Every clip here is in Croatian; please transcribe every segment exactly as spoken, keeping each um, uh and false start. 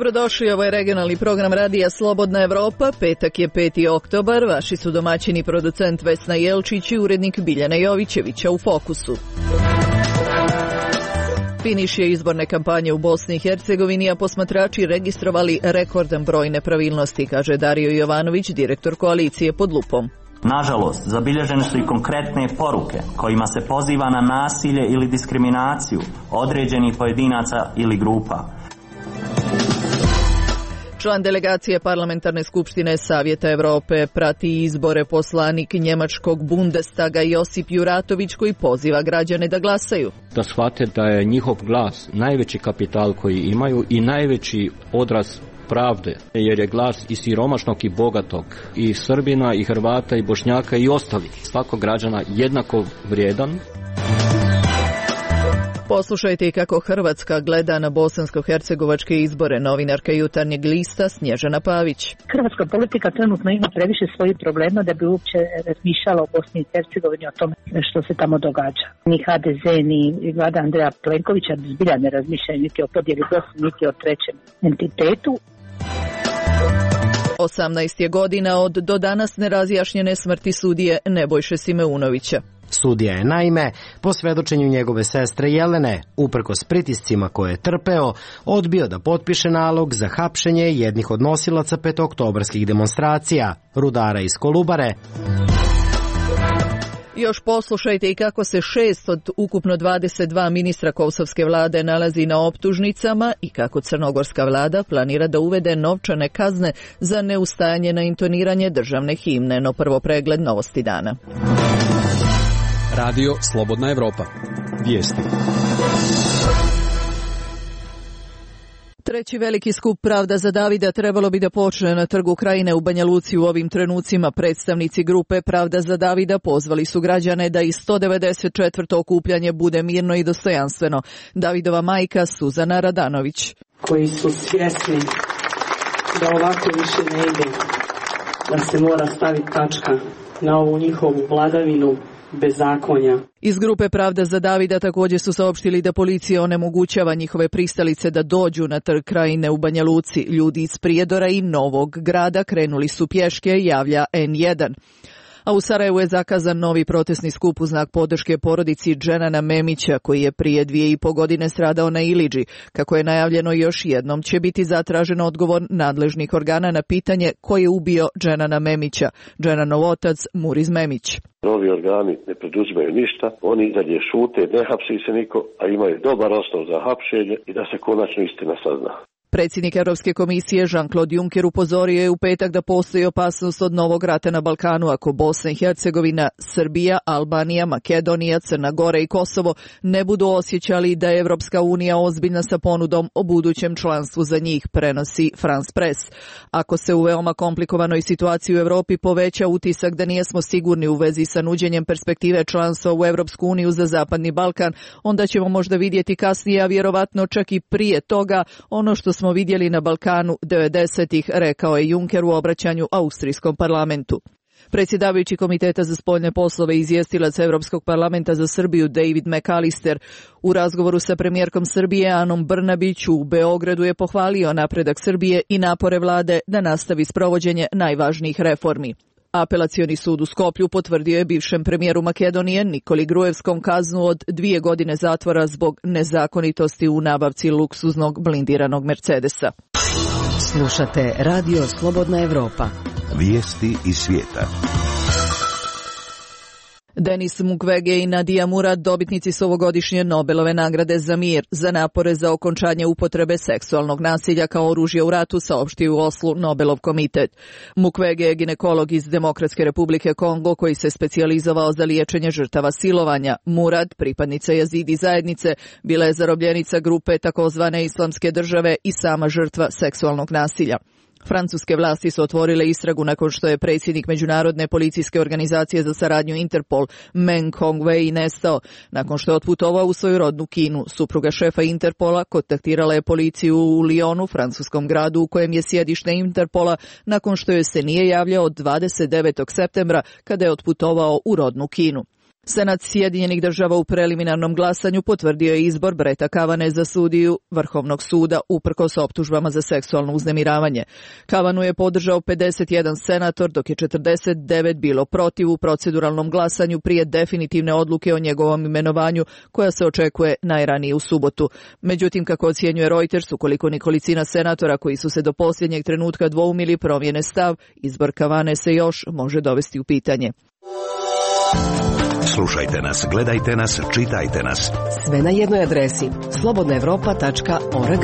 Dobrodošli, ovo je regionalni program Radija Slobodna Evropa. Petak je peti oktobar, vaši su domaćini producent Vesna Jelčić i urednik Biljana Jovićevića u Fokusu. Finiš je izborne kampanje u Bosni i Hercegovini, a posmatrači registrovali rekordan broj nepravilnosti, kaže Dario Jovanović, direktor koalicije Pod lupom. Nažalost, zabilježene su i konkretne poruke kojima se poziva na nasilje ili diskriminaciju određenih pojedinaca ili grupa. Član delegacije Parlamentarne skupštine Savjeta Evrope prati izbore, poslanik njemačkog Bundestaga Josip Juratović, koji poziva građane da glasaju. Da shvate da je njihov glas najveći kapital koji imaju i najveći odraz pravde, jer je glas i siromašnog i bogatog, i Srbina, i Hrvata, i Bošnjaka, i ostalih. Svakog građana jednako vrijedan. Poslušajte i kako Hrvatska gleda na bosansko-hercegovačke izbore. Novinarka Jutarnjeg lista Snježana Pavić. Hrvatska politika trenutno ima previše svojih problema da bi uopće razmišljala o Bosni i Hercegovini, o tome što se tamo događa. Ni ha de ze, ni vlada Andreja Plenkovića zbilja ne razmišljaju niti o podjeli Bosne, niti o trećem entitetu. osamnaest je godina od do danas nerazjašnjene smrti sudije Nebojše Simeunovića. Sudija je naime, po svedočenju njegove sestre Jelene, uprkos pritiscima koje je trpeo, odbio da potpiše nalog za hapšenje jednih od nosilaca petooktobarskih demonstracija, rudara iz Kolubare. Još poslušajte i kako se šest od ukupno dvadeset dva ministra kosovske vlade nalazi na optužnicama i kako crnogorska vlada planira da uvede novčane kazne za neustajanje na intoniranje državne himne. No prvo pregled novosti dana. Radio Slobodna Evropa. Vijesti. Treći veliki skup Pravda za Davida trebalo bi da počne na Trgu Krajine u Banja Luci u ovim trenucima. Predstavnici grupe Pravda za Davida pozvali su građane da i sto devedeset četvrto okupljanje bude mirno i dostojanstveno. Davidova majka Suzana Radanović. Koji su svjesni da ovako više ne ide, da se mora staviti tačka na ovu njihovu vladavinu bezakonja. Iz grupe Pravda za Davida također su saopštili da policija onemogućava njihove pristalice da dođu na Trg Krajine u Banja Luci. Ljudi iz Prijedora i Novog Grada krenuli su pješke, javlja en jedan. A u Sarajevu je zakazan novi protestni skup u znak podrške porodici Dženana Memića, koji je prije dvije i po godine stradao na Ilidži. Kako je najavljeno, još jednom će biti zatražen odgovor nadležnih organa na pitanje ko je ubio Dženana Memića. Dženanov otac Muriz Memić. Novi organi ne preduzimaju ništa, oni i dalje šute, ne hapsi se niko, a imaju dobar osnov za hapšenje i da se konačno istina sazna. Predsjednik Europske komisije Jean-Claude Juncker upozorio je u petak da postoji opasnost od novog rata na Balkanu ako Bosna i Hercegovina, Srbija, Albanija, Makedonija, Crna Gora i Kosovo ne budu osjećali da je Evropska unija ozbiljna sa ponudom o budućem članstvu za njih, prenosi France Press. Ako se u veoma komplikovanoj situaciji u Europi poveća utisak da nijesmo sigurni u vezi sa nuđenjem perspektive članstva u Evropsku uniju za Zapadni Balkan, onda ćemo možda vidjeti kasnije, a vjerovatno čak i prije toga, ono što smo vidjeli na Balkanu devedesetih, rekao je Juncker u obraćanju Austrijskom parlamentu. Predsjedavajući Komiteta za spoljne poslove i izvjestilac Europskog parlamenta za Srbiju David McAllister u razgovoru sa premijerkom Srbije Anom Brnabić u Beogradu je pohvalio napredak Srbije i napore vlade da nastavi sprovođenje najvažnijih reformi. Apelacioni sud u Skoplju potvrdio je bivšem premijeru Makedonije Nikoli Gruevskom kaznu od dvije godine zatvora zbog nezakonitosti u nabavci luksuznog blindiranog Mercedesa. Slušate Radio Slobodna Evropa. Vijesti iz svijeta. Denis Mukwege i Nadia Murad dobitnici su ovogodišnje Nobelove nagrade za mir za napore za okončanje upotrebe seksualnog nasilja kao oružja u ratu, saopštio u Oslu Nobelov komitet. Mukwege je ginekolog iz Demokratske republike Kongo koji se specijalizovao za liječenje žrtava silovanja. Murad, pripadnica Jazidi zajednice, bila je zarobljenica grupe takozvane Islamske države i sama žrtva seksualnog nasilja. Francuske vlasti su otvorile istragu nakon što je predsjednik Međunarodne policijske organizacije za saradnju Interpol Meng Hongwei nestao. Nakon što je otputovao u svoju rodnu Kinu, supruga šefa Interpola kontaktirala je policiju u Lyonu, francuskom gradu u kojem je sjedište Interpola, nakon što joj se nije javljao od dvadeset devetog septembra kada je otputovao u rodnu Kinu. Senat Sjedinjenih država u preliminarnom glasanju potvrdio je izbor Breta Kavane za sudiju Vrhovnog suda uprkos optužbama za seksualno uznemiravanje. Kavanu je podržao pedeset jedan senator, dok je četrdeset devet bilo protiv u proceduralnom glasanju prije definitivne odluke o njegovom imenovanju, koja se očekuje najranije u subotu. Međutim, kako ocjenjuje Reuters, ukoliko nekolicina senatora koji su se do posljednjeg trenutka dvoumili promijene stav, izbor Kavane se još može dovesti u pitanje. Slušajte nas, gledajte nas, čitajte nas. Sve na jednoj adresi slobodna evropa tačka org.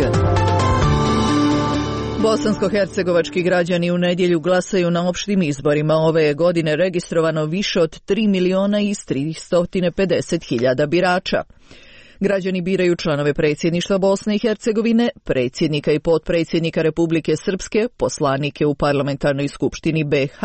Bosansko-hercegovački građani u nedjelju glasaju na opštim izborima. Ove je godine registrovano više od tri miliona i tristo pedeset hiljada birača. Građani biraju članove predsjedništva Bosne i Hercegovine, predsjednika i potpredsjednika Republike Srpske, poslanike u Parlamentarnoj skupštini B iH,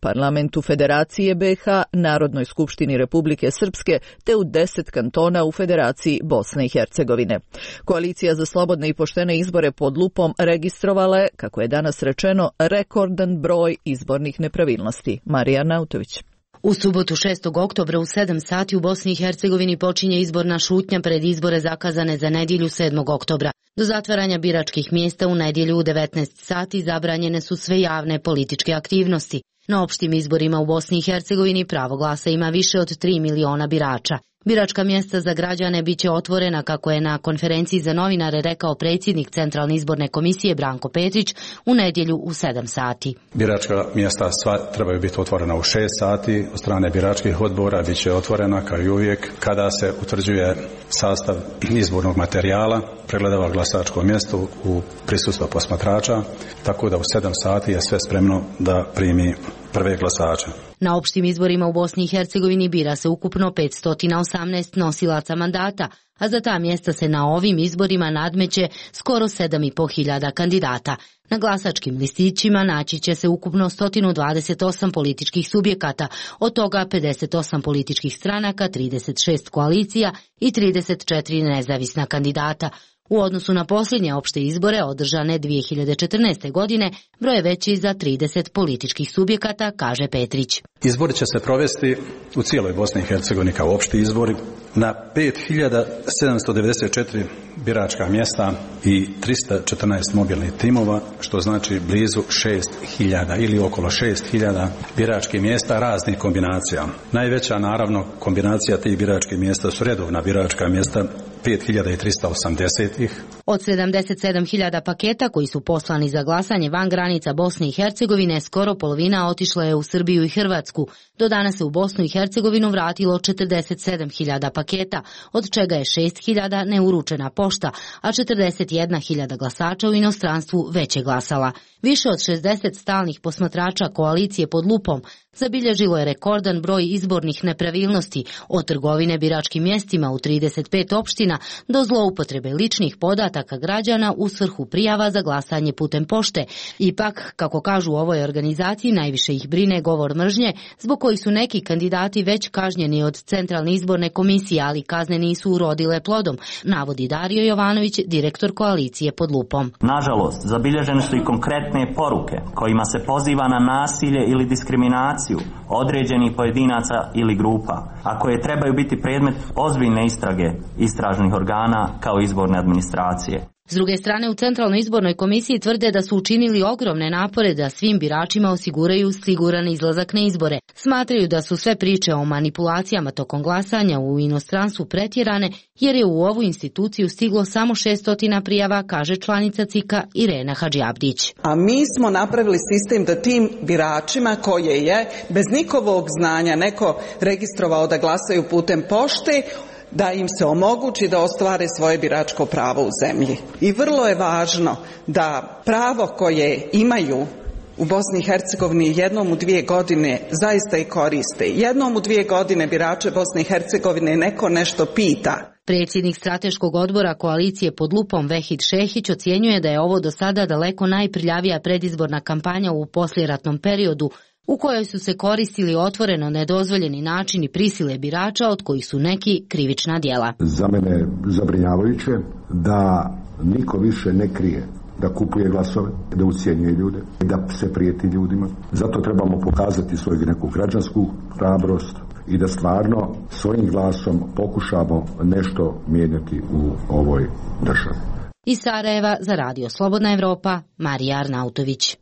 Parlamentu Federacije B iH, Narodnoj skupštini Republike Srpske, te u deset kantona u Federaciji Bosne i Hercegovine. Koalicija za slobodne i poštene izbore pod lupom registrovala je, kako je danas rečeno, rekordan broj izbornih nepravilnosti. Marija Nautović. U subotu šestog oktobra u sedam sati u Bosni i Hercegovini počinje izborna šutnja pred izbore zakazane za nedjelju sedmog oktobra. Do zatvaranja biračkih mjesta u nedjelju u devetnaest sati zabranjene su sve javne političke aktivnosti. Na opštim izborima u Bosni i Hercegovini pravo glasa ima više od tri miliona birača. Biračka mjesta za građane bit će otvorena, kako je na konferenciji za novinare rekao predsjednik Centralne izborne komisije Branko Petrić, u nedjelju u sedam sati. Biračka mjesta sva trebaju biti otvorena u šest sati, od strane biračkih odbora bit će otvorena kao i uvijek kada se utvrđuje sastav izbornog materijala, pregledava glasačko mjesto u prisustvu posmatrača, tako da u sedam sati je sve spremno da primi prve glasače. Na opštim izborima u Bosni i Hercegovini bira se ukupno petsto osamnaest nosilaca mandata, a za ta mjesta se na ovim izborima nadmeće skoro sedam i po hiljada kandidata. Na glasačkim listićima naći će se ukupno sto dvadeset osam političkih subjekata, od toga pedeset osam političkih stranaka, trideset šest koalicija i trideset četiri nezavisna kandidata. U odnosu na posljednje opšte izbore održane dvije hiljade četrnaeste. godine broj je veći za trideset političkih subjekata, kaže Petrić. Izbori će se provesti u cijeloj Bosni i Hercegovini kao opšti izbori na pet hiljada sedamsto devedeset četiri biračka mjesta i tristo četrnaest mobilnih timova, što znači blizu šest hiljada ili okolo šest hiljada biračkih mjesta raznih kombinacija. Najveća naravno kombinacija tih biračkih mjesta su redovna biračka mjesta, pet hiljada tristo osamdeset ih. Od sedamdeset sedam hiljada paketa koji su poslani za glasanje van granica Bosne i Hercegovine, skoro polovina otišla je u Srbiju i Hrvatsku. Do danas se u Bosnu i Hercegovinu vratilo četrdeset sedam hiljada paketa, od čega je šest hiljada neuručena pošta, a četrdeset jedna hiljada glasača u inostranstvu već je glasala. Više od šezdeset stalnih posmatrača koalicije pod lupom zabilježilo je rekordan broj izbornih nepravilnosti, od trgovine biračkim mjestima u trideset pet opština do zloupotrebe ličnih podataka građana u svrhu prijava za glasanje putem pošte. Ipak, kako kažu u ovoj organizaciji, najviše ih brine govor mržnje, zbog koji su neki kandidati već kažnjeni od Centralne izborne komisije, ali kazne nisu urodile plodom, navodi Dario Jovanović, direktor koalicije pod lupom. Nažalost, zabilježene su i konkretne poruke kojima se poziva na nasilje ili diskriminaciju određenih pojedinaca ili grupa, a koje trebaju biti predmet ozbiljne istrage istražnih organa kao izborne administracije. S druge strane, u Centralnoj izbornoj komisiji tvrde da su učinili ogromne napore da svim biračima osiguraju siguran izlazak na izbore. Smatraju da su sve priče o manipulacijama tokom glasanja u inostranstvu pretjerane, jer je u ovu instituciju stiglo samo šesto prijava, kaže članica C I K-a Irena Hadžiabdić. A mi smo napravili sistem da tim biračima koje je bez njihovog znanja neko registrovao da glasaju putem pošte, da im se omogući da ostvare svoje biračko pravo u zemlji. I vrlo je važno da pravo koje imaju u Bosni i Hercegovini jednom u dvije godine zaista i koriste. Jednom u dvije godine birače Bosne i Hercegovine neko nešto pita. Predsjednik strateškog odbora koalicije pod lupom Vehid Šehić ocjenjuje da je ovo do sada daleko najprljavija predizborna kampanja u poslijeratnom periodu, u kojoj su se koristili otvoreno nedozvoljeni načini prisile birača, od kojih su neki krivična djela. Za mene je zabrinjavajuće da niko više ne krije da kupuje glasove, da ucjenjuje ljude, da se prijeti ljudima. Zato trebamo pokazati svoju neku građansku hrabrost i da stvarno svojim glasom pokušamo nešto mijenjati u ovoj državi. Iz Sarajeva za Radio Slobodna Evropa, Marija Arnautović.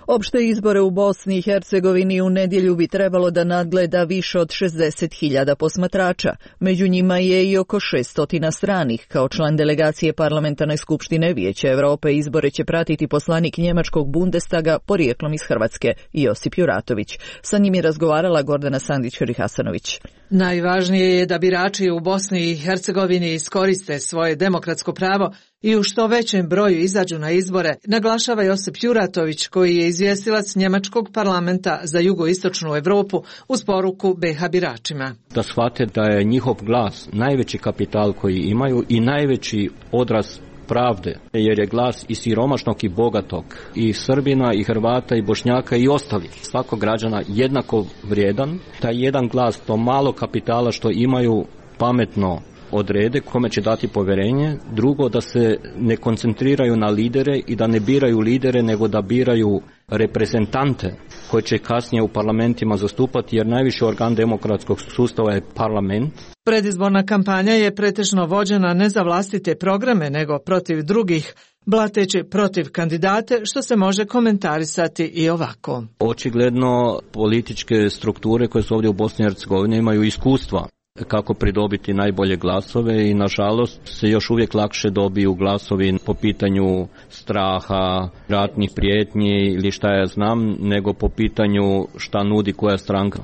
Opšte izbore u Bosni i Hercegovini u nedjelju bi trebalo da nadgleda više od šezdeset hiljada posmatrača. Među njima je i oko šesto stranih. Kao član delegacije Parlamentarne skupštine Vijeća Evrope izbore će pratiti poslanik njemačkog Bundestaga porijeklom iz Hrvatske, Josip Juratović. Sa njim je razgovarala Gordana Sandić-Hasanović. Najvažnije je da birači u Bosni i Hercegovini iskoriste svoje demokratsko pravo i u što većem broju izađu na izbore, naglašava Josip Juratović, koji je izvjestilac njemačkog parlamenta za jugoistočnu Evropu uz poruku be ha biračima. Da shvate da je njihov glas najveći kapital koji imaju i najveći odraz pravde, jer je glas i siromašnog i bogatog, i Srbina, i Hrvata, i Bošnjaka, i ostalih, svakog građana jednako vrijedan. Taj jedan glas, to malo kapitala što imaju, pametno odrede kome će dati povjerenje. Drugo, da se ne koncentriraju na lidere i da ne biraju lidere, nego da biraju reprezentante koji će kasnije u parlamentima zastupati, jer najviši organ demokratskog sustava je parlament. Predizborna kampanja je pretežno vođena ne za vlastite programe, nego protiv drugih, blateći protiv kandidate, što se može komentarisati i ovako. Očigledno političke strukture koje su ovdje u Bosni i Hercegovini imaju iskustva kako pridobiti najbolje glasove i nažalost se još uvijek lakše dobiju glasovi po pitanju straha, ratnih prijetnji ili šta ja znam, nego po pitanju šta nudi koja stranka.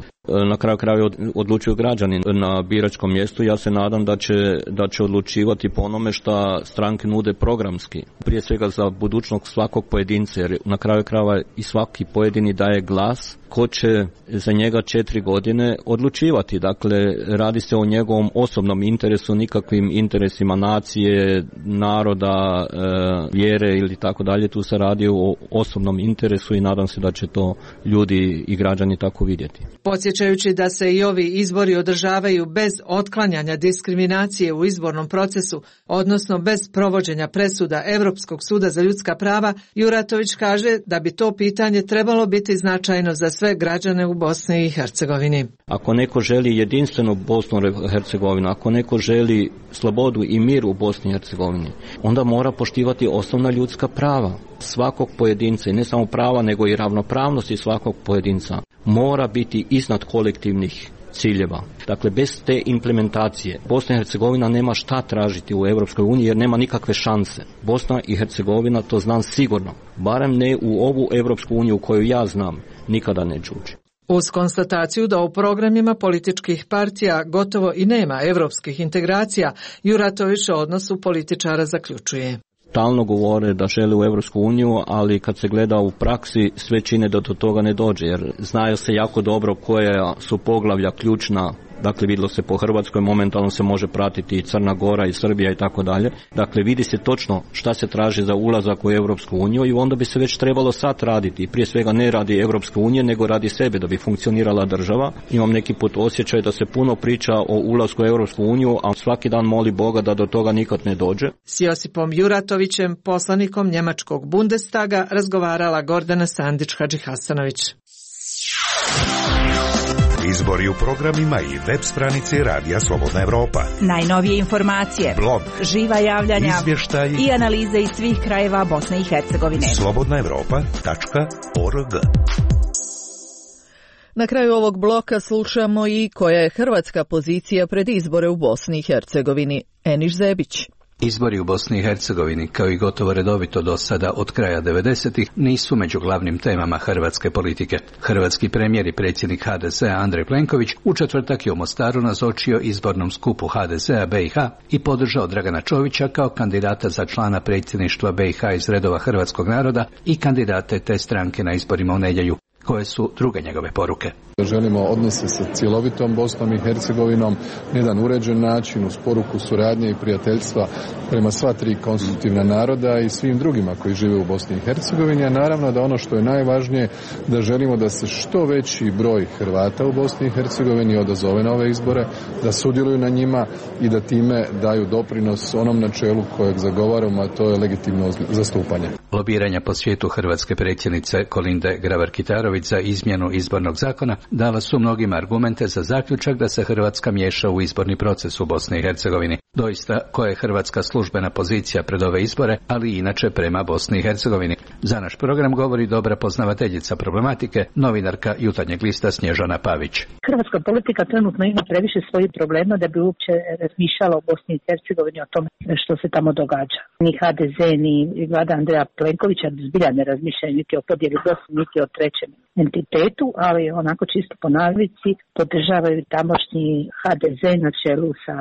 Na kraju krajeva odlučuju građani na biračkom mjestu. Ja se nadam da će, da će odlučivati po onome šta stranke nude programski. Prije svega za budućnost svakog pojedinca, jer na kraju krajeva i svaki pojedini daje glas ko će za njega četiri godine odlučivati. Dakle, radi se o njegovom osobnom interesu, nikakvim interesima nacije, naroda, e, vjere ili tako dalje. Tu se radi o osobnom interesu i nadam se da će to ljudi i građani tako vidjeti. Podsjećajući da se i ovi izbori održavaju bez otklanjanja diskriminacije u izbornom procesu, odnosno bez provođenja presuda Europskog suda za ljudska prava, Juratović kaže da bi to pitanje trebalo biti značajno za sve građane u Bosni i Hercegovini. Ako neko želi jedinstvenu Bosnu i Hercegovinu, ako neko želi slobodu i mir u Bosni i Hercegovini, onda mora poštivati osnovna ljudska prava svakog pojedinca, i ne samo prava nego i ravnopravnosti svakog pojedinca mora biti iznad kolektivnih ciljeva. Dakle, bez te implementacije Bosna i Hercegovina nema šta tražiti u Europskoj uniji jer nema nikakve šanse. Bosna i Hercegovina, to znam sigurno, barem ne u ovu Europsku uniju koju ja znam, nikada neće ući. Uz konstataciju da u programima političkih partija gotovo i nema europskih integracija, Juratović o odnosu političara zaključuje. Stalno govore da žele u Europsku uniju, ali kad se gleda u praksi sve čine da do toga ne dođe, jer znaju se jako dobro koja su poglavlja ključna. Dakle, vidjelo se po Hrvatskoj, momentalno se može pratiti i Crna Gora i Srbija i tako dalje. Dakle, vidi se točno šta se traži za ulazak u Europsku uniju i onda bi se već trebalo sad raditi. Prije svega ne radi Europske unije, nego radi sebe da bi funkcionirala država. Imam neki put osjećaj da se puno priča o ulasku u Europsku uniju, a svaki dan moli Boga da do toga nikad ne dođe. S Josipom Juratovićem, poslanikom njemačkog Bundestaga, razgovarala Gordana Sandić-Hasanović. Izbori u programima i web stranici Radija Slobodna Evropa. Najnovije informacije, blog, živa javljanja, izvještaji i analize iz svih krajeva Bosne i Hercegovine. slobodna evropa tačka org. Na kraju ovog bloka slušamo i koja je hrvatska pozicija pred izbore u Bosni i Hercegovini. Eniš Zebić. Izbori u Bosni i Hercegovini, kao i gotovo redovito do sada od kraja devedesetih, nisu među glavnim temama hrvatske politike. Hrvatski premijer i predsjednik ha de ze a Andrej Plenković u četvrtak je u Mostaru nazočio izbornom skupu ha de ze a be i ha i podržao Dragana Čovića kao kandidata za člana predsjedništva be i ha iz redova hrvatskog naroda i kandidate te stranke na izborima u nedjelju. Koje su druge njegove poruke? Želimo odnose sa cjelovitom Bosnom i Hercegovinom na jedan uređen način uz poruku suradnje i prijateljstva prema sva tri konstitutivna naroda i svim drugima koji žive u Bosni i Hercegovini, a naravno da ono što je najvažnije da želimo da se što veći broj Hrvata u Bosni i Hercegovini odazove na ove izbore, da sudjeluju na njima i da time daju doprinos onom načelu kojeg zagovaramo, a to je legitimno zastupanje. Lobiranja po svijetu hrvatske predsjednice Kolinde Grabar-Kitarović Petrović za izmjenu izbornog zakona dala su mnogim argumente za zaključak da se Hrvatska miješa u izborni proces u Bosni i Hercegovini. Doista, koja je hrvatska službena pozicija pred ove izbore, ali i inače prema Bosni i Hercegovini. Za naš program govori dobra poznavateljica problematike, novinarka Jutarnjeg lista Snježana Pavić. Hrvatska politika trenutno ima previše svojih problema da bi uopće razmišljala o Bosni i Hercegovini, o tome što se tamo događa. Ni ha de ze, ni vlada Andreja Plenkovića zbilja ne razmišljaju niti o podjeli Bosne, niti o trećem entitetu, ali onako čisto po navici podržavaju tamošnji ha de ze na čelu sa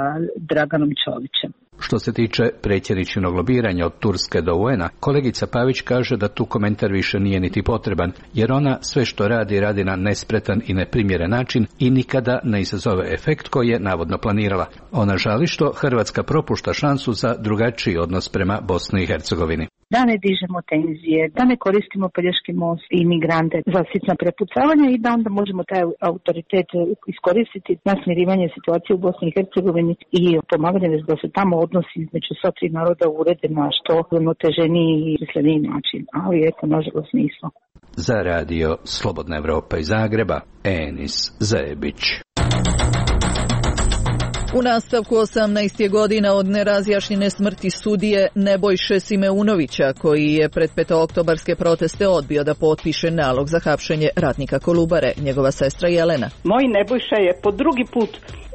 Draganom Čovićem. Što se tiče predsjedničinog lobiranja od Turske do u en a, kolegica Pavić kaže da tu komentar više nije niti potreban, jer ona sve što radi, radi na nespretan i neprimjeren način i nikada ne izazove efekt koji je navodno planirala. Ona žali što Hrvatska propušta šansu za drugačiji odnos prema Bosni i Hercegovini. Da ne dižemo tenzije, da ne koristimo Pelješki most i imigrante za sitna prepucavanja i da onda možemo taj autoritet iskoristiti na smirivanje situacije u Bosni i Hercegovini i pomaganje da se tamo odnosi između sva tri naroda urede na što uravnoteženiji i smisleniji način, ali eto, nažalost nismo. Za radio Slobodna Evropa iz Zagreba, Enis Zebić. U nastavku osamnaest je godina od nerazjašnjene smrti sudije Nebojše Simeunovića, koji je pred petooktobarske proteste odbio da potpiše nalog za hapšenje ratnika Kolubare, njegova sestra Jelena. Moj Nebojša je po drugi put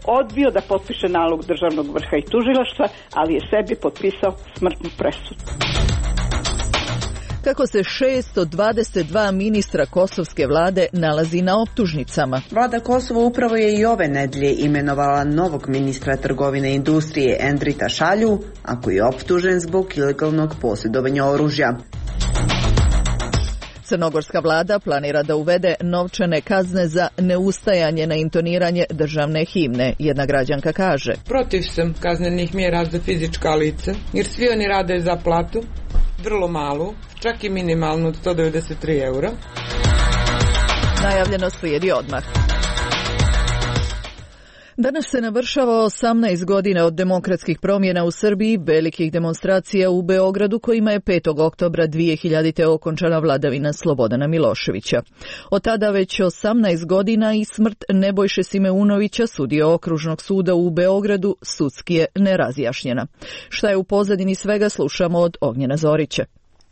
odbio da potpiše nalog državnog vrha i tužilaštva, ali je sebi potpisao smrtnu presudu. Kako se šesto dvadeset dva ministra kosovske vlade nalazi na optužnicama. Vlada Kosova upravo je i ove nedelje imenovala novog ministra trgovine i industrije Endrita Šalju, a koji je optužen zbog ilegalnog posjedovanja oružja. Crnogorska vlada planira da uvede novčane kazne za neustajanje na intoniranje državne himne. Jedna građanka kaže: Protiv sam kaznenih mjera za fizička lica, jer svi oni rade za platu, vrlo malu, čak i minimalnu od sto devedeset tri eura. Najavljeno slijedi odmah. Danas se navršava osamnaest godina od demokratskih promjena u Srbiji, velikih demonstracija u Beogradu kojima je petog oktobra dvije hiljadite. okončana vladavina Slobodana Miloševića. Od tada već osamnaest godina i smrt Nebojše Simeunovića, sudije Okružnog suda u Beogradu, sudski je nerazjašnjena. Šta je u pozadini svega, slušamo od Ognjena Zorića.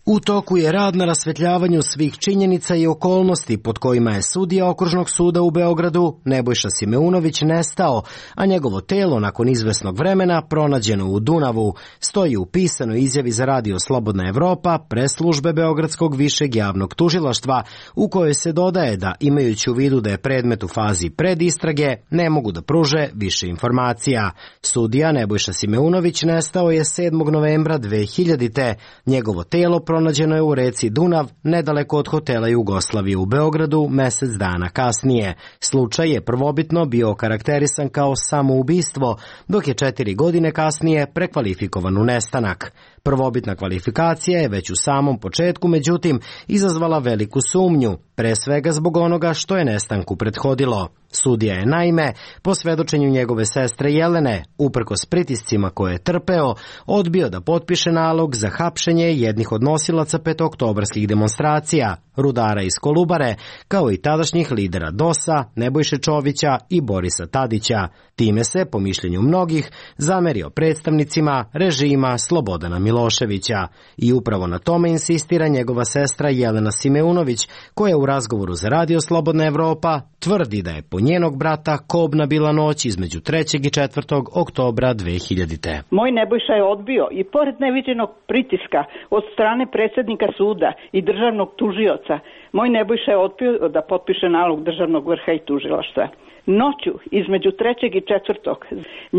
U toku je rad na rasvetljavanju svih činjenica i okolnosti pod kojima je sudija Okružnog suda u Beogradu Nebojša Simeunović nestao, a njegovo telo nakon izvesnog vremena pronađeno u Dunavu, stoji u pisanoj izjavi za radio Slobodna Evropa presslužbe Beogradskog višeg javnog tužilaštva, u kojoj se dodaje da, imajući u vidu da je predmet u fazi predistrage, ne mogu da pruže više informacija. Sudija Nebojša Simeunović nestao je sedmog novembra dve hiljadite. Njegovo telo pronađeno je u reci Dunav, nedaleko od hotela Jugoslavije u Beogradu, mesec dana kasnije. Slučaj je prvobitno bio okarakterisan kao samoubistvo, dok je četiri godine kasnije prekvalifikovan u nestanak. Prvobitna kvalifikacija je već u samom početku, međutim, izazvala veliku sumnju, pre svega zbog onoga što je nestanku prethodilo. Sudija je naime, po svedočenju njegove sestre Jelene, uprkos pritiscima koje je trpeo, odbio da potpiše nalog za hapšenje jednih od nosilaca petooktobarskih demonstracija, rudara iz Kolubare, kao i tadašnjih lidera dosa, Nebojše Čovića i Borisa Tadića. Time se, po mišljenju mnogih, zamerio predstavnicima režima Slobodana Miloševića. I upravo na tome insistira njegova sestra Jelena Simeunović, koja u razgovoru za radio Slobodna Evropa tvrdi da je po njenog brata kobna bila noć između trećeg i četvrtog oktobra dve hiljadite. Moj Nebojša je odbio i pored neviđenog pritiska od strane predsjednika suda i državnog tužioca, moj Nebojša je odbio da potpiše nalog državnog vrha i tužilaštva. Noću između trećeg i četvrtog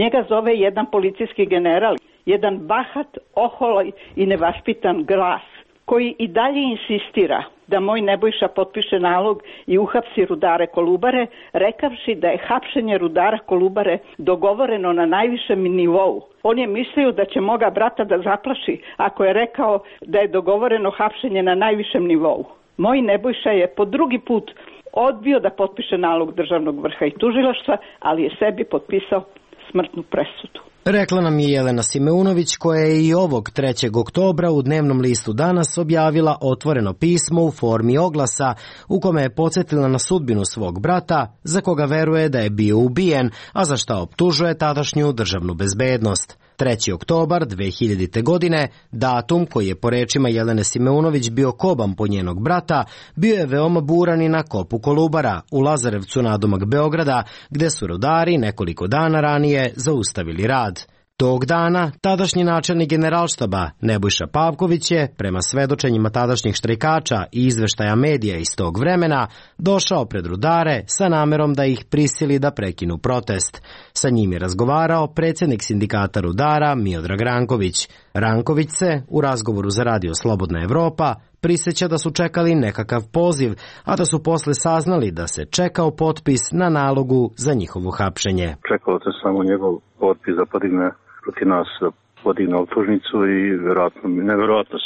njega zove jedan policijski general, jedan bahat, oholoj i nevaspitan glas, koji i dalje insistira da moj Nebojša potpiše nalog i uhapsi rudare Kolubare, rekavši da je hapšenje rudara Kolubare dogovoreno na najvišem nivou. On je mislio da će moga brata da zaplaši ako je rekao da je dogovoreno hapšenje na najvišem nivou. Moj Nebojša je po drugi put odbio da potpiše nalog državnog vrha i tužilaštva, ali je sebi potpisao smrtnu presudu. Rekla nam je Jelena Simeunović, koja je i ovog trećeg oktobra u dnevnom listu Danas objavila otvoreno pismo u formi oglasa u kome je podsjetila na sudbinu svog brata, za koga veruje da je bio ubijen, a za šta optužuje tadašnju državnu bezbednost. treći oktobar dve hiljadite. godine, datum koji je po rečima Jelene Simeunović bio koban po njenog brata, bio je veoma buran i na kopu Kolubara u Lazarevcu nadomak Beograda, gde su rudari nekoliko dana ranije zaustavili rad. Tog dana tadašnji načelnik Generalštaba Nebojša Pavković je, prema svedočenjima tadašnjih štrajkača i izveštaja medija iz tog vremena, došao pred rudare sa namerom da ih prisili da prekinu protest. Sa njim je razgovarao predsjednik sindikata rudara Miodrag Ranković. Ranković se, u razgovoru za radio Slobodna Evropa, prisjeća da su čekali nekakav poziv, a da su posle saznali da se čekao potpis na nalogu za njihovo hapšenje. Čekalo se samo njegov potpis da podigne protiv nas, da podigne optužnicu i vjerojatno, nevjerojatno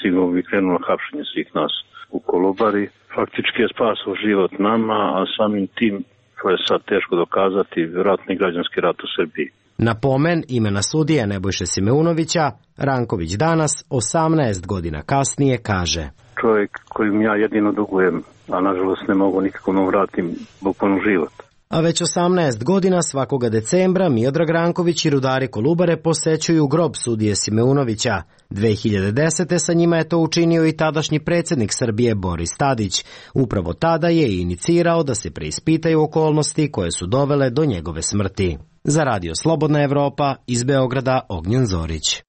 sigurno bi krenulo hapšenje svih nas u Kolubari. Faktički je spasao život nama, a samim tim, to je sad teško dokazati, vjerojatno i građanski rat u Srbiji. Na pomen imena sudije Nebojše Simeunovića, Ranković danas, osamnaest godina kasnije, kaže: Čovjek kojim ja jedino dugujem, a nažalost ne mogu nikako mu vratim bukvalno život. A već osamnaest godina svakoga decembra Miodrag Ranković i rudari Kolubare posećuju grob sudije Simeunovića. dve hiljade desete. sa njima je to učinio i tadašnji predsjednik Srbije Boris Tadić. Upravo tada je inicirao da se preispitaju okolnosti koje su dovele do njegove smrti. Za radio Slobodna Evropa, iz Beograda, Ognjen Zorić.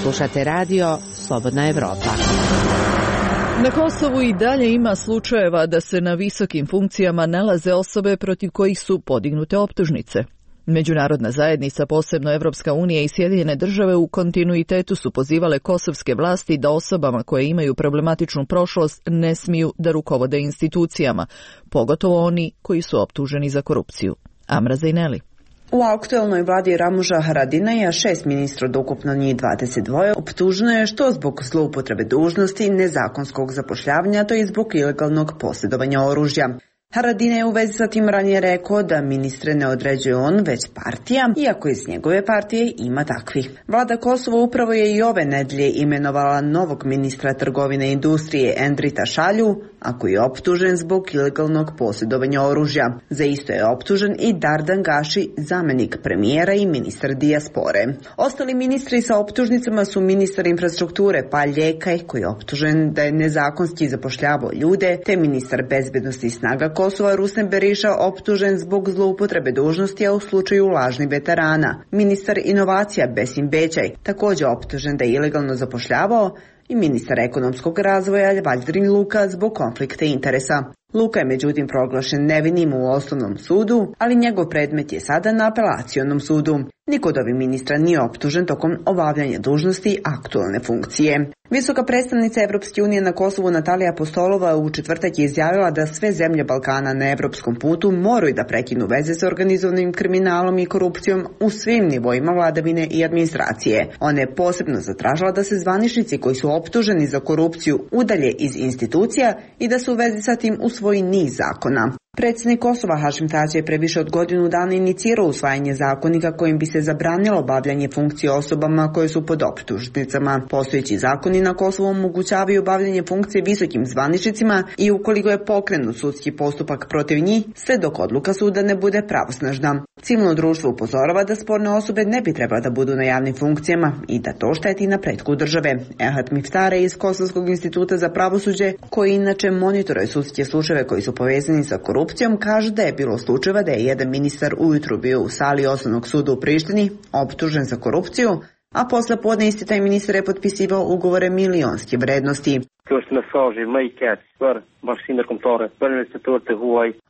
Slušate radio Slobodna Evropa. Na Kosovu i dalje ima slučajeva da se na visokim funkcijama nalaze osobe protiv kojih su podignute optužnice. Međunarodna zajednica, posebno Evropska unija i Sjedinjene države, u kontinuitetu su pozivale kosovske vlasti da osobama koje imaju problematičnu prošlost ne smiju da rukovode institucijama, pogotovo oni koji su optuženi za korupciju. Amra Zajneli. U aktuelnoj vladi Ramuža Haradinaja šest ministra od ukupno njih dvadeset dva optuženo je što zbog zloupotrebe dužnosti, nezakonskog zapošljavanja, to je zbog ilegalnog posjedovanja oružja. Haradinaj je u vezi sa tim ranije rekao da ministre ne određuje on, već partija, iako iz njegove partije ima takvih. Vlada Kosova upravo je i ove nedelje imenovala novog ministra trgovine i industrije Endrita Šalju, a koji je optužen zbog ilegalnog posjedovanja oružja. Za isto je optužen i Dardan Gaši, zamenik premijera i ministar dijaspore. Ostali ministri sa optužnicama su ministar infrastrukture Palj Ljekaj, koji je optužen da je nezakonski zapošljavao ljude, te ministar bezbednosti i snaga Kosova Rusem Beriša optužen zbog zloupotrebe dužnosti, a u slučaju lažnih veterana. Ministar inovacija Besim Bećaj također optužen da je ilegalno zapošljavao i ministar ekonomskog razvoja Valdrin Luka zbog konflikta interesa. Luka je međutim proglašen nevinim u osnovnom sudu, ali njegov predmet je sada na apelacionom sudu. Niko od ovih ministra nije optužen tokom obavljanja dužnosti aktualne funkcije. Visoka predstavnica Evropske unije na Kosovu Natalija Apostolova u četvrtak je izjavila da sve zemlje Balkana na evropskom putu moraju da prekinu veze sa organizovanim kriminalom i korupcijom u svim nivoima vladavine i administracije. Ona je posebno zatražila da se zvaničnici koji su optuženi za korupciju udalje iz institucija i da su u vezi sa tim usvoji niz zakona. Predsjednik Kosova Hašim Tači je pre više od godinu dana inicirao usvajanje zakonika kojim bi se zabranilo obavljanje funkcije osobama koje su pod optužnicama. Postojeći zakoni na Kosovu omogućavaju obavljanje funkcije visokim zvaničnicima i ukoliko je pokrenut sudski postupak protiv njih, sve dok odluka suda ne bude pravosnažna. Civilno društvo upozorava da sporne osobe ne bi trebala da budu na javnim funkcijama i da to šteti napretku države. Ehat Miftare iz Kosovskog instituta za pravosuđe, koji inače monitoruje sudske slučajeve koji su povezani sa korupcijom, kaže da je bilo slučajeva da je jedan ministar ujutru bio u sali osnovnog suda u Prištini optužen za korupciju, a posle podne isti taj ministar je potpisivao ugovore milionske vrednosti.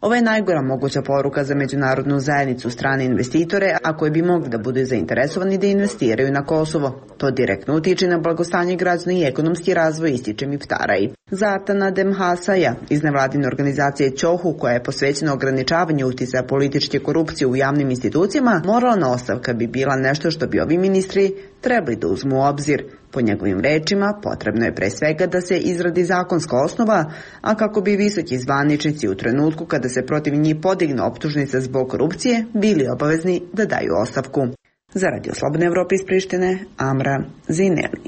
Ovo je najgora moguća poruka za međunarodnu zajednicu, strane investitore, a koji bi mogli da budu zainteresovani da investiraju na Kosovo. To direktno utiče na blagostanje građana i ekonomski razvoj, ističe Miftaraj. Zatana Demhasaja iz nevladine organizacije Ćohu, koja je posvećena ograničavanju uticaja političke korupcije u javnim institucijama, moralna ostavka bi bila nešto što bi ovi ministri trebali da uzmu u obzir. Po njegovim rečima, potrebno je pre svega da se izradi zakonska osnova, a kako bi visoki zvaničnici u trenutku kada se protiv njih podigne optužnica zbog korupcije bili obavezni da daju ostavku. Za Radio Slobodne Evrope iz Prištine, Amra Zineli.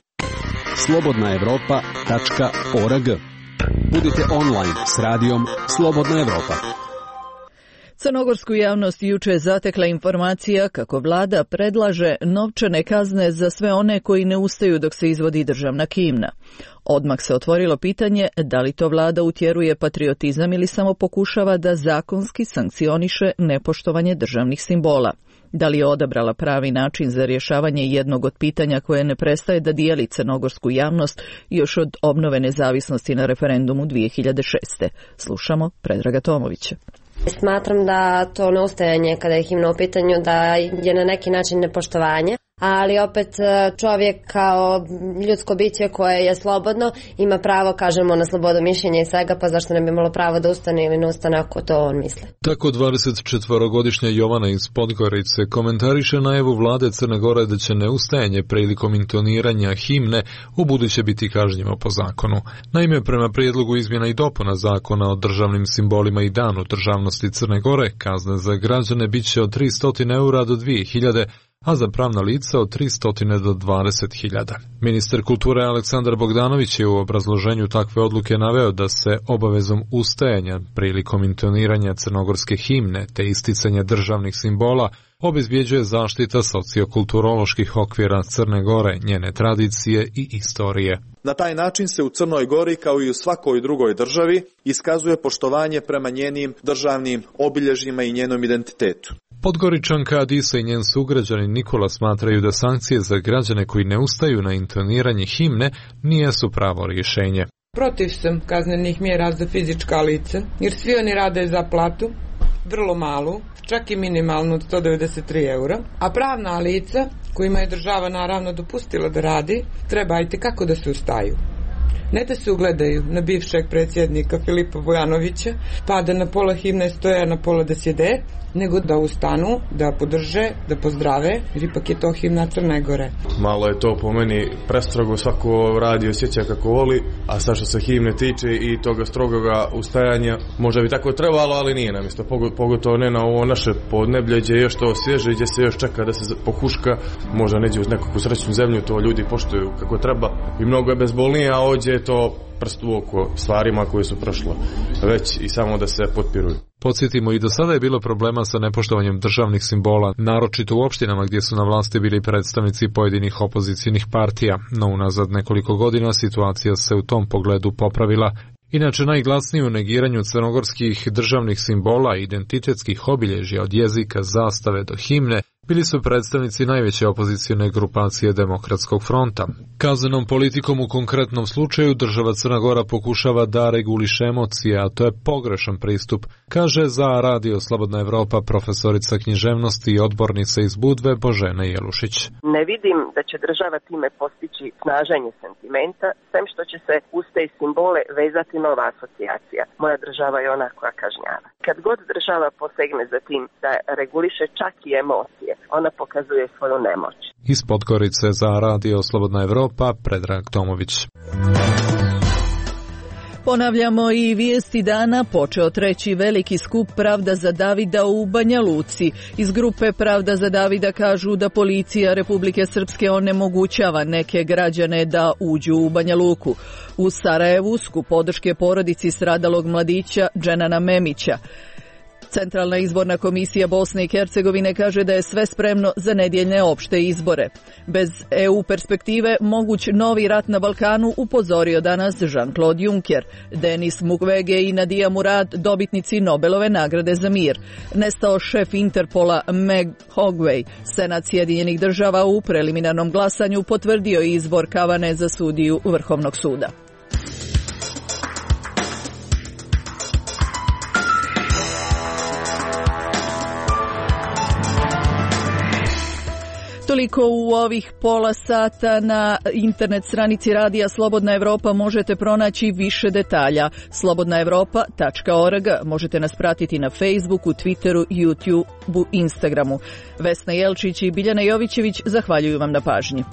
slobodna evropa tačka org. Budite online s radijom Slobodna Evropa. Crnogorsku javnost juče je zatekla informacija kako vlada predlaže novčane kazne za sve one koji ne ustaju dok se izvodi državna himna. Odmah se otvorilo pitanje da li to vlada utjeruje patriotizam ili samo pokušava da zakonski sankcioniše nepoštovanje državnih simbola. Da li je odabrala pravi način za rješavanje jednog od pitanja koje ne prestaje da dijeli crnogorsku javnost još od obnove nezavisnosti na referendumu dvije hiljade šeste. Slušamo Predraga Tomovića. Smatram da to neustajanje kada je himna u pitanju da je na neki način nepoštovanje, ali opet čovjek kao ljudsko biće koje je slobodno ima pravo, kažemo, na slobodu mišljenja i svega, pa zašto ne bi imalo pravo da ustane ili ne ustane ako to on misli. Tako dvadesetčetvorogodišnja Jovana iz Podgorice komentariše najavu vlade Crne Gore da će neustajanje prilikom intoniranja himne ubuduće biti kažnjivo po zakonu. Naime, prema prijedlogu izmjena i dopuna zakona o državnim simbolima i danu državnosti Crne Gore, kazne za građane bit će od tristo eura do dvije hiljade, a za pravna lica od tristo do dvadeset hiljada. Ministar kulture Aleksandar Bogdanović je u obrazloženju takve odluke naveo da se obavezom ustajanja prilikom intoniranja crnogorske himne te isticanja državnih simbola obezbjeđuje zaštita sociokulturoloških okvira Crne Gore, njene tradicije i istorije. Na taj način se u Crnoj Gori, kao i u svakoj drugoj državi, iskazuje poštovanje prema njenim državnim obilježjima i njenom identitetu. Podgoričanka Adisa i njen sugrađanin Nikola smatraju da sankcije za građane koji ne ustaju na intoniranje himne nijesu pravo rješenje. Protiv sam kaznenih mjera za fizička lica, jer svi oni rade za platu, vrlo malu, čak i minimalnu od sto devedeset tri eura, a pravna lica, kojima je država naravno dopustila da radi, treba i tekako da se ustaju. Ne da se ugledaju na bivšeg predsjednika Filipa Vujanovića, pa da na pola himne stoje, na pola da sjede, nego da ustanu, da podrže, da pozdrave, jer ipak je to himna Crne Gore. Malo je to po meni prestrogo, svako radi osjeća kako voli, a sad što se himne tiče i toga strogoga ustajanja, možda bi tako trebalo, ali nije nam isto, pogotovo ne na ovo naše podneblje, gdje je još to svježe, gdje se još čeka da se pohuška, možda neđe uz nekakvu srećnu zemlju, to ljudi poštuju kako treba i mnogo je bezbolnije, a ovdje je to prst u oko stvarima koje su prošlo, već i samo da se potpiruju. Podsjetimo, i do sada je bilo problema sa nepoštovanjem državnih simbola, naročito u opštinama gdje su na vlasti bili predstavnici pojedinih opozicijnih partija, no unazad nekoliko godina situacija se u tom pogledu popravila. Inače, najglasniji u negiranju crnogorskih državnih simbola i identitetskih obilježja od jezika, zastave do himne bili su predstavnici najveće opozicione grupacije Demokratskog fronta. Kaznenom politikom u konkretnom slučaju država Crna Gora pokušava da reguliše emocije, a to je pogrešan pristup, kaže za Radio Slobodna Evropa profesorica književnosti i odbornica iz Budve Božena Jelušić. Ne vidim da će država time postići snaženje sentimenta, sem što će se uz te simbole vezati nova asocijacija. Moja država je ona koja kažnjava. Kad god država posegne za tim da reguliše čak i emocije, ona pokazuje svoju nemoć. Iz Podgorice za Radio Slobodna Evropa, Predrag Tomović. Ponavljamo i vijesti dana, počeo treći veliki skup Pravda za Davida u Banja Luci. Iz grupe Pravda za Davida kažu da policija Republike Srpske onemogućava neke građane da uđu u Banja Luku. U Sarajevu skup podrške porodici stradalog mladića Dženana Memića. Centralna izborna komisija Bosne i Hercegovine kaže da je sve spremno za nedjeljne opšte izbore. Bez E U perspektive moguć novi rat na Balkanu, upozorio danas Jean-Claude Juncker. Denis Mukwege i Nadia Murad, dobitnici Nobelove nagrade za mir. Nestao šef Interpola Meg Hogway. Senat Sjedinjenih država u preliminarnom glasanju potvrdio izbor Kavane za sudiju Vrhovnog suda. Toliko u ovih pola sata. Na internet stranici Radija Slobodna Evropa možete pronaći više detalja. slobodna evropa tačka org. Možete nas pratiti na Facebooku, Twitteru, YouTubeu, Instagramu. Vesna Jelčić i Biljana Jovićević zahvaljuju vam na pažnji.